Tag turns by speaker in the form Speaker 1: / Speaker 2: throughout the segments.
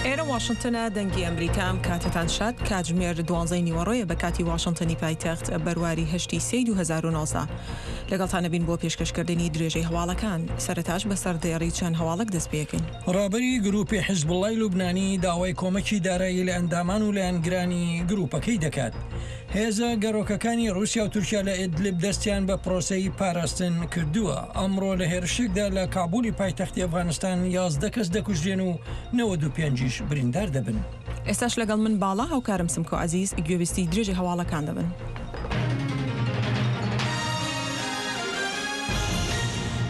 Speaker 1: ئێرە واشنتنە دەنگی ئەمریکا ئەم کاتەتان شاد کاتژمێر دوانزەی نیوەڕۆیە بە کاتی واشنتنی پایتەخت بەرواری هەشتی سێی 2019 لەگەڵتان ئەبین بۆ پێشکەشکردنی درێژەی هەواڵەکان سەرەتاش بە سەردێڕی چەند هەواڵێک دەست پێکەین.
Speaker 2: ڕابەری گروپی حیزبوڵڵای لوبنانی داوای کۆمەکی دارایی لە ئەندامان و لایەنگرانی گروپەکەی دەکات. هێزە گەڕۆکەکانی ڕووسیا و تورکیا لە ئیدلب دەستیان بە پرۆسەی پاراستن کردووە. ئەمڕۆ لە هێرشێکدا لە کابولی پایتەختی ئەفغانستان 11 کەس دەکوژرێن و 95 یش بریندار دەبن.
Speaker 1: ئێستاش لەگەڵ من باڵا هاوکارم سمکۆ عەزیز گوێبیستی درێژەی هەواڵەکان دەبن.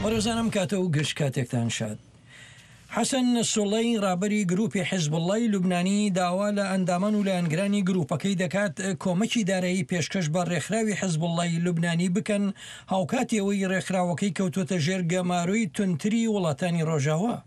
Speaker 2: بەڕێزان ئەم کاتە و گشت کاتێکتان شاد. حەسەن نەسروڵڵای ڕابەری گروپی حیزبوڵڵای لوبنانی داوا لە ئەندامان و لایەنگرانی گروپەکەی دەکات کۆمەکی دارایی پێشکەش بە ڕێکخراوی حیزبوڵڵای لوبنانی بکەن هاوکاتی ئەوەی ڕێکخراوەکەی کەوتووەتە ژێر گەمارۆی توندتری وڵاتانی ڕۆژاوا.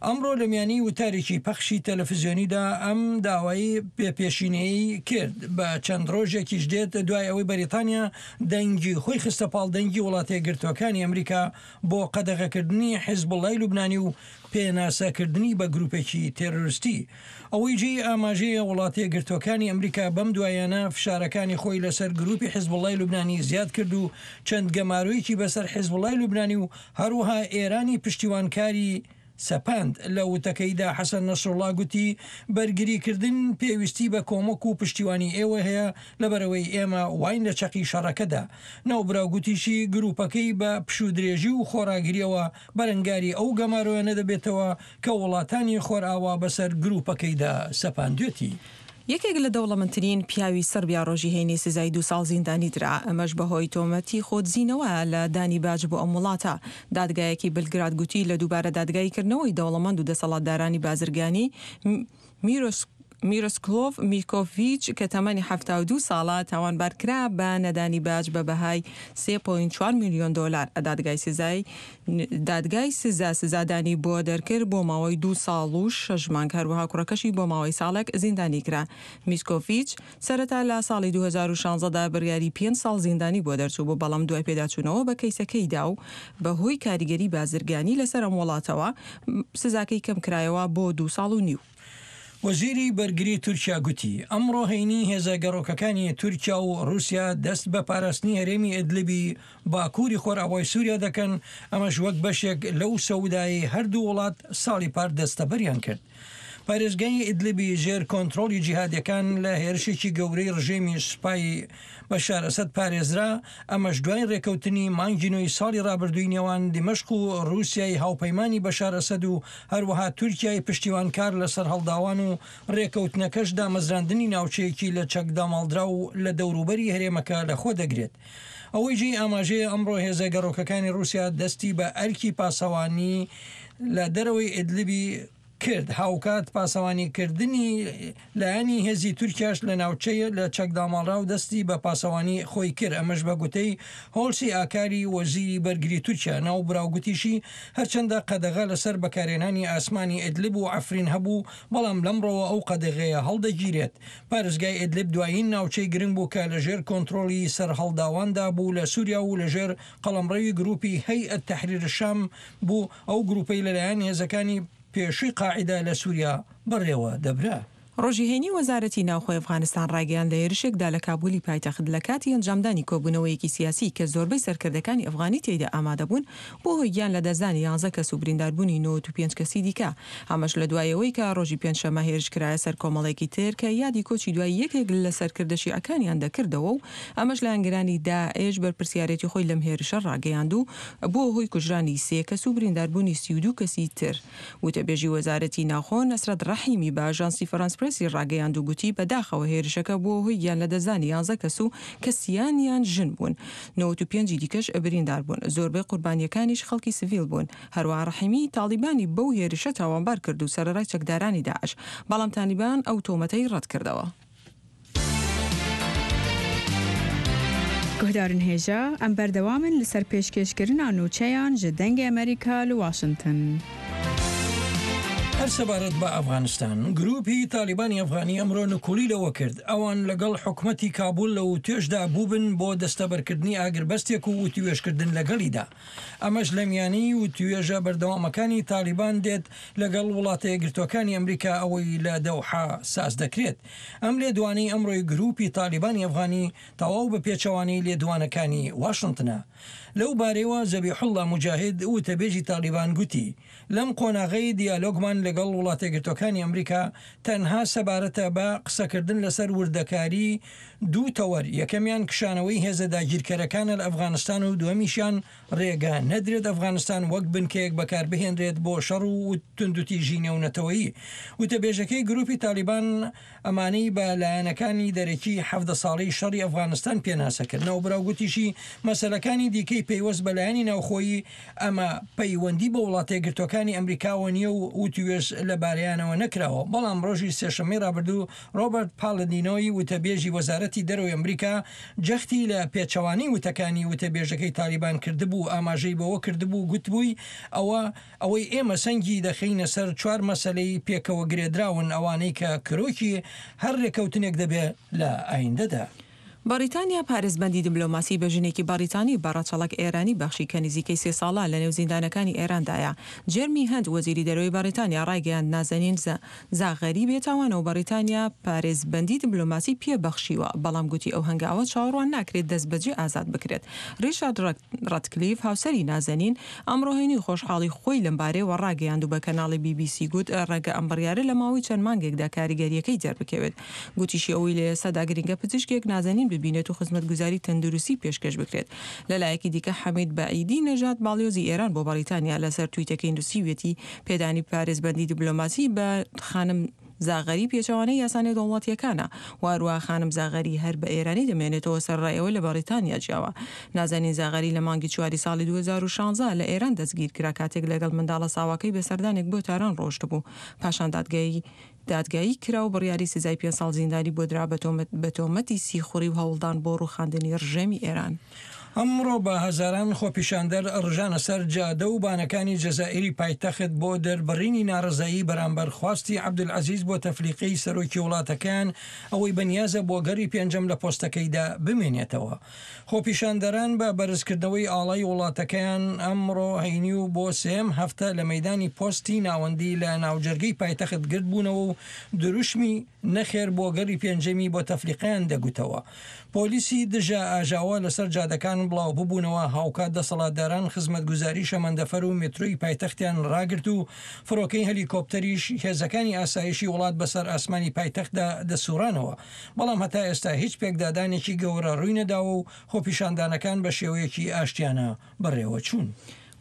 Speaker 2: ئەمڕۆ لە میانی وتارێکی پەخشی تەلەفزیۆنیدا ئەم داوای بێ پێشینەیەی کرد، بە چەند ڕۆژێکیش دێت دوای ئەوەی بەریتانیا دەنگی خۆی خستە پاڵ دەنگی وڵاتەیەکگرتووەکانی ئەمریکا بۆ قەدەغەکردنی حیزبوڵای لوبنانی و پێناسەکردنی بە گروپێکی تێرۆرستی. ئەوەی جێی ئاماژەیە وڵاتەیەکگرتووەکانی ئەمریکا بەم دواییانە فشارەکانی خۆی لەسەر گروپی حیزبوڵای لوبنانی زیاد کرد و چەند گەمارۆیەکی بەسەر حیزبوڵای لوبنانی و هەروەها ئێرانی پشتیوانکاری سەپاند. لە وتەکەیدا حەسەن نەسروڵا گوتی، بەرگریکردن پێویستی بە کۆمەک و پشتیوانی ئێوە هەیە، لەبەرئەوەی ئێمە واین لە چەقی شەڕەکەدا. ناوبراو گوتیشی، گروپەکەی بە پشوودرێژی و خۆڕاگرییەوە بەرەنگاری ئەو گەمارۆیانە دەبێتەوە کە وڵاتانی خۆرئاوا بەسەر گروپەکەیدا سەپاندوێتی.
Speaker 1: یەکێک لە دەوڵەمەندترین پیاوی سڕبیا ڕۆژی هەینی سزای دوو ساڵ زیندانی درا، ئەمەش بەهۆی تۆمەتی خۆدزینەوە لە دانی باج بۆ ئەم وڵاتە. دادگایەکی بلگراد گوتی لە دووبارە دادگاییکردنەوەی دەوڵەمەند و دەسەڵاتدارانی بازرگانی میرۆسکلۆڤ میکۆڤیچ کە تەمەنی 72 ساڵە تاوانبارکرا بە نەدانی باج بە بەهای 3.4 ملیۆن دۆلار. دادگای سزای دادگای سزا سزادانی بۆ دەرکرد بۆ ماوەی دوو ساڵ و شەش مانگ، هەروەها کوڕەکەشی بۆ ماوەی ساڵێک زیندانی کرا. میسکۆڤیچ سەرەتا لە ساڵی 2016 دا بڕیاری پێنج ساڵ زیندانی بۆ دەرچووبوو، بەڵام دوای پێداچوونەوە بە کەیسەکەیدا و بەهۆی کاریگەری بازرگانی لەسەر ئەم وڵاتەوە، سزاکەی کەمکرایەوە بۆ دوو ساڵ و نیو.
Speaker 2: وەزیری بەرگری تورکیا گوتی، ئەمڕۆ هەینی هێزە گەڕۆکەکانی تورکیا و ڕووسیا دەست بە پاراستنی هەرێمی ئیدلبی باکووری خۆرئاوای سووریا دەکەن، ئەمەش وەک بەشێک لەو سەودایەی هەردوو وڵات ساڵی پار دەستەبەریان کرد. پارێزگای ئیدلبی ژێر کۆنترۆڵی جیهادیەکان لە هێرشێکی گەورەی ڕژێمی سوپای بەشار ئەسەد پارێزرا، ئەمەش دوای ڕێکەوتنی مانگی نۆی ساڵی ڕابردووی نێوان دیمەشق و ڕووسیای هاوپەیمانی بەشار ئەسەد و هەروەها تورکیای پشتیوانکار لە سەرهەڵداوان و ڕێکەوتنەکەش دامەزراندنی ناوچەیەکی لە چەک داماڵدراو لە دەوروبەری هەرێمەکە لەخۆ دەگرێت. ئەوەی جێی ئاماژەیە ئەمڕۆ هێزە گەڕۆکەکانی ڕووسیا دەستی بە ئەرکی پاسەوانی لە دەرەوەی ئیدلبی کرد، هاوکات پاسەوانی کردنی لایەنی هێزی تورکیاش لە ناوچەی لە چەک داماڵراو دەستی بە پاسەوانی خۆی کرد، ئەمەش بە گوتەی هۆلسی ئاکاری وەزیری بەرگری تورکیا. ناوبراو گوتیشی، هەرچەندە قەدەغە لەسەر بەکارهێنانی ئاسمانی ئیدلب و عەفرین هەبوو، بەڵام لەمڕۆوە ئەو قەدەغەیە هەڵدەگیرێت. پارێزگای ئیدلب دوایین ناوچەی گرنگ بوو کە لەژێر کۆنترۆڵی سەرهەڵداواندا بوو لە سوریا و لەژێر قەڵەمڕەوی گروپی هەیئەت تەحریر شام بوو، ئەو گروپەی لەلایەن هێزەکانی پێشووی قاعیدە لە سوریا بەڕێوە دەبرا.
Speaker 1: ڕۆژی هەینی وەزارەتی ناوخۆی ئەفغانستان ڕایگەیاند لە هێرشێکدا لە کابولی پایتەخت لە کاتی ئەنجامدانی کۆبوونەوەیەکی سیاسی کە زۆربەی سەرکردەکانی ئەفغانی تێیدا ئامادەبوون بووە هۆی گیان لەدەستدانی یانزە کەس و برینداربوونی 95 کەسی دیکە ئەمەش لە دوای ئەوەی کە ڕۆژی پێنجشەممە هێرش کرایە سەر کۆمەڵێکی تر کە یادی کۆچی دوای یەکێک لە سەرکردە شیعەکانیان دەکردەوە و ئەمەش لایەنگرانی داعش بەرپرسیارێتی خۆی لەم هێرشە ڕاگەیاند و بووە هۆی کوژرانی سێ کەس و برینداربوونی 32 کەسی تر. وتەبێژی وەزارەتی ناوخۆ نەسرەت ڕەحیمی بە ئاژانسی فەرانس پرێسی ڕاگەیاند و گوتی بەداخەوە هێرشەکە بووە هۆی گیانلەدەستدانی یانزە کەس و کە سیانیان ژن بوون، 95 ی دیکەش بریندار بوون، زۆربەی قوربانییەکانیش خەڵکی سڤیل بوون. هەروەها ڕەحیمی تاڵیبانی بەو هێرشە تاوانبار کرد و سەرەڕای چەکدارانی داعش، بەڵام تالیبان ئەو تۆمەتەی ڕەتکردەوە.
Speaker 3: Guhdarên hêja, em berdewam in li ser pêşkêşkirina nûçeyan ji Dengê Amerîka li Washington.
Speaker 2: هەر سەبارەت بە ئەفغانستان، گرووپی تالیبانی ئەفغانی ئەمرۆ نکوڵی لەوە کرد ئەوان لەگەڵ حکومەتی کابول لە وتوێژدا بووبن بۆ دەستەبەرکردنی ئاگربەستێک و وتوێژکردن لەگەڵیدا. ئەمەش لە میانەی وتوێژە بەردەوامەکانی تالیبان دێت لەگەڵ وڵاتە یەکگرتووەکانی ئەمریکا ئەوەی لە دەوحە ساز دەکرێت. ئەم لێدوانەی ئەمڕۆی گرووپی تالیبانی ئەفغانی تەواو بە پێچەوانەی لێدوانەکانی واشنتنە. لەو بارەیەوە زەبیحوڵڵا موجاهید وتەبێژی تالیبان گوتی، لەم قۆناغەی دیالۆگمان لەگەڵ وڵاتەیەکگرتووەکانی ئەمریکا تەنها سەبارەتە بە قسەکردن لەسەر وردەکاری دوو تەوەر، یەکەمیان کشانەوەی هێزە داگیرکەرەکانە لە ئەفغانستان و دووەمیشیان رێگە نەدرێت ئەفغانستان وەک بنکەیەک بەکاربهێنرێت بۆ شەڕ و توندوتیژی نێونەتەوەیی. وتەبێژەکەی گروپی تالیبان ئەمانەی بە لایەنەکانی دەرەکی 17 ساڵەی شەڕی ئەفغانستان پێناسە کرد. ناوبراو گوتیشی، مەسەلەکانی دیکەی پەیوەست بە لایەنی ناوخۆیی، ئەمە پەیوەندی بە وڵاتەیەکگرتووەکانی ئەمریکاوە نییە و وتووێژ لەبارەیانەوە نەکراوە. بەڵام ڕۆژی سێشەممەی ڕابردوو ڕۆبەرت پالدینۆی وتەبێژی وەزارەتی دەرەوەی ئەمریکا جەختی لە پێچەوانەی وتەکانی وتەبێژەکەی تالیبان کردبوو و ئاماژەی بەوە کردبوو گوتبووی ئەوە ئەوەی ئێمە سەنگی دەخەینە سەر چوار مەسەلەی پێکەوە گرێدراون ئەوانەی کە کرۆکی هەر رێکەوتنێک دەبێ لە ئایندەدا.
Speaker 1: بەڕیتانیا پارێزبەندی دبلۆماسی بە ژنێکی بەڕیتانی بە ڕەچەڵەک ئێرانی بەخشی کە نزیکەی سێ ساڵە لەنێو زیندانەکانی ئێراندایە. جێرمی هەنت وەزیری دەرەوەی بەڕیتانیا ڕایگەیاند نازەنین زاغەری بێتاوانە و بەڕیتانیا پارێزبەندی دبلۆماسی پێ بەخشیوە، بەڵام گوتی ئەو هەنگاوە چاوەڕوان ناکرێت دەستبەجێ ئازاد بکرێت. ڕیچارد ڕەتکلیف هاوسەری نازەنین ئەمڕۆ هەینی خۆشحاڵی خۆی لەمبارەیەوە ڕاگەیاند و بە کەناڵی بی بی سی گوت ڕەنگە ئەم بڕیارە لە ماوەی چەند مانگێکدا کاریگەرییەکەی دەربکەوێت. گوتیشی ئەوەی لە ئێستادا گرنگە پزیشکێک نازەنین ببینێت و خزمەتگوزاری تەندروستی پێشکەش بکرێت. لەلایەکی دیکە حەمید بەعیدی نەژاد باڵیۆزی ئێران بۆ بەڕیتانیا لەسەر تویتەکەی نووسیویەتی پێدانی پارێزبەندی دیبلۆماسی بە خانم زاغەری پێچەوانەی یاسا نێودەوڵەتییەکانە و هەروەها خانم زاغەری هەر بە ئێرانی دەمێنێتەوە سەرەڕای ئەوەی لە بەڕیتانیا ژیاوە. نازەنین زاغەری لە مانگی چواری ساڵی 2016 لە ئێران دەستگیرکرا کاتێک لەگەڵ منداڵە ساواکەی بە سەردانێک بۆ تاران ڕۆشتبوو پاشان دادگایی دادگایی کرا و بڕیاری سزای پێنج ساڵ زیندانی بۆ درا بە تۆمەتی سیخوڕی و هەوڵدان بۆ ڕووخاندنی ڕژێمی ئێران.
Speaker 2: ئەمڕۆ بە هەزاران خۆپیشاندەر ڕژانە سەر جادە و بانەکانی جەزائیری پایتەخت بۆ دەربڕینی ناڕەزایی بەرامبەر خواستی عەبدولعەزیز بۆتەفلیقەی سەرۆکی وڵاتەکەیان ئەوەی بەنیازە بۆ گەڕی پێنجەم لە پۆستەکەیدا بمێنێتەوە. خۆپیشاندەران بە بەرزکردنەوەی ئاڵای وڵاتەکەیان ئەمڕۆ هەینی و بۆ سێیەم هەفتە لە مەیدانی پۆستی ناوەندی لە ناوجەرگەی پایتەخت گردبوونەوە و دروشمی نەخێر بۆ گەڕی پێنجەمی بۆتەفلیقەیان دەگوتەوە. پۆلیسی دژە ئاژاوە لەسەر جادەکان بڵاوببوونەوە، هاوکات دەسەڵاتداران خزمەتگوزاری شەمەندەفەر و مێترۆی پایتەختیان ڕاگرت و فڕۆکەی هەلیکۆپتەریش هێزەکانی ئاسایشی وڵات بەسەر ئاسمانی پایتەختدا دەسوڕانەوە. بەڵام هەتا ئێستا هیچ پێکدادانێکی گەورە ڕووینەداوە و خۆپیشاندانەکان بە شێوەیەکی ئاشتیانە بەڕێوەچوون.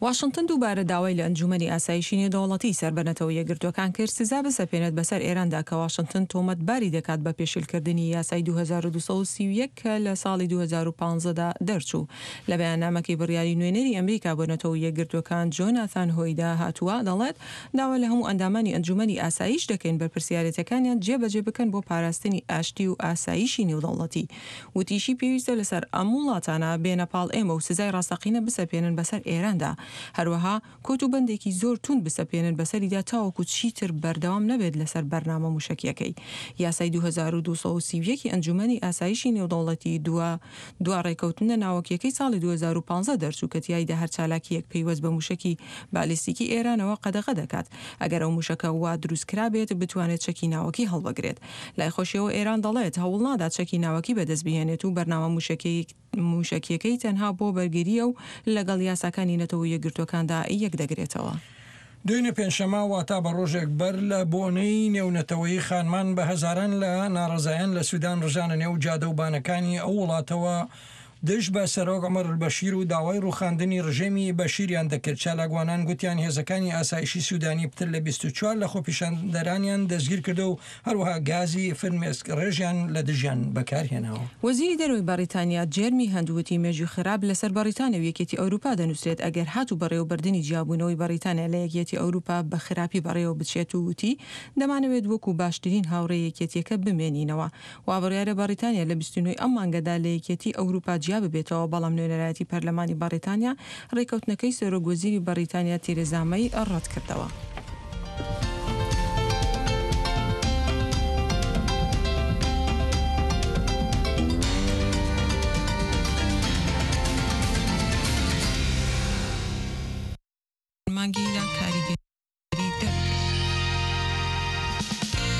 Speaker 1: واشنتن دووبارە داوای لە ئەنجوومەنی ئاسایشی نێودەوڵەتی سەر بە نەتەوە یەکگرتووەکان کرد سزا بسەپێنێت بەسەر ئێراندا کە واشنتن تۆمەتباری دەکات بە پێشێلکردنی یاسای 2231 کە لە ساڵی 2015 دا دەرچوو. لە بەیاننامەکەی بڕیاری نوێنەری ئەمریکا بۆ نەتەوە یەکگرتووەکان جۆناثان هۆیدا هاتووە دەڵێت داوا لە هەموو ئەندامانی ئەنجوومەنی ئاسایش دەکەین بەرپرسیارێتیەکانیان جێبەجێ بکەن بۆ پاراستنی ئاشتی و ئاسایشی نێودەوڵەتی. وتیشی پێویستە لەسەر ئەم وڵاتانە بێنە پاڵ ئێمە و سزای ڕاستەقینە بسەپێنن بەسەر ئێراندا، هەروەها کۆت و بەندێکی زۆر توند بسەپێنن بەسەریدا تاوەکو چیتر بەردەوام نەبێت لەسەر بەرنامە موشەکیەکەی. یاسای 2231 ی ئەنجومەنی ئاسایشی نێودەوڵەتی دوا دوا ڕێکەوتنە ناوەکیەکەی ساڵی 2015 دەرچوو کە تیایدا هەر چالاکییەک پەیوەست بە موشەکی بالیستیکی ئێرانەوە قەدەغە دەکات ئەگەر ئەو موشەکە وا دروستکرابێت بتوانێت چەکی ناوەکی هەڵبگرێت. لای خۆشیەوە ئێران دەڵێت، هەوڵنادات چەکی ناوەکی بەدەستبهێنێت و بەرنامە موشەکییەکەی تەنها بۆ بەرگرییە و لەگەڵ یاساکانی نەتەوە یەکگرتووەکاندا یەکدەگرێتەوە.
Speaker 2: دوێنێ پێنجشەممە واتا بە ڕۆژێک بەر لە بۆنەی نێونەتەوەیی خانمان بە هەزاران لە ناڕەزایان لە سودان ڕژانە نێو جادە و بانەکانی ئەو وڵاتەوە دژ بە سەرۆک عومەر البەشیر و داوای ڕووخاندنی ڕژێمی بەشیریان دەکرد، چالاکوانان گوتیان هێزەکانی ئاسایشی سودانی پتر لە 24 لە خۆپیشاندەرانیان دەستگیرکردووە و هەروەها گازی فرمێسک ڕێژیان لە دژیان بەکارهێناوە.
Speaker 1: وەزیری دەرەوەی بەڕیتانیا جێرمی هەنت وتی مێژووی خراپ لەسەر بەڕیتانیا و یەکێتی ئەوروپا دەنووسرێت ئەگەر هاتوو بەڕێوەبردنی جیابوونەوەی بەڕیتانیا لە یەکیەتی ئەوروپا بە خراپی بەڕێوە بچێت و وتی دەمانەوێت وەکو باشترین هاوڕێی یەکێتیەکە بمێنینەوە وابڕیارە بەڕیتانیا لە 29 ی ئەم مانگەدا لە یەکێتی ئەوروپا جیا ببێتەوە، بەڵام نوێنەرایەتی پەرلەمانی بەڕیتانیا ڕێککەوتنەکەی سەرۆک وەزیری بەڕیتانیا تێرێزا مەی ڕەتکردەوە. مانگی لە.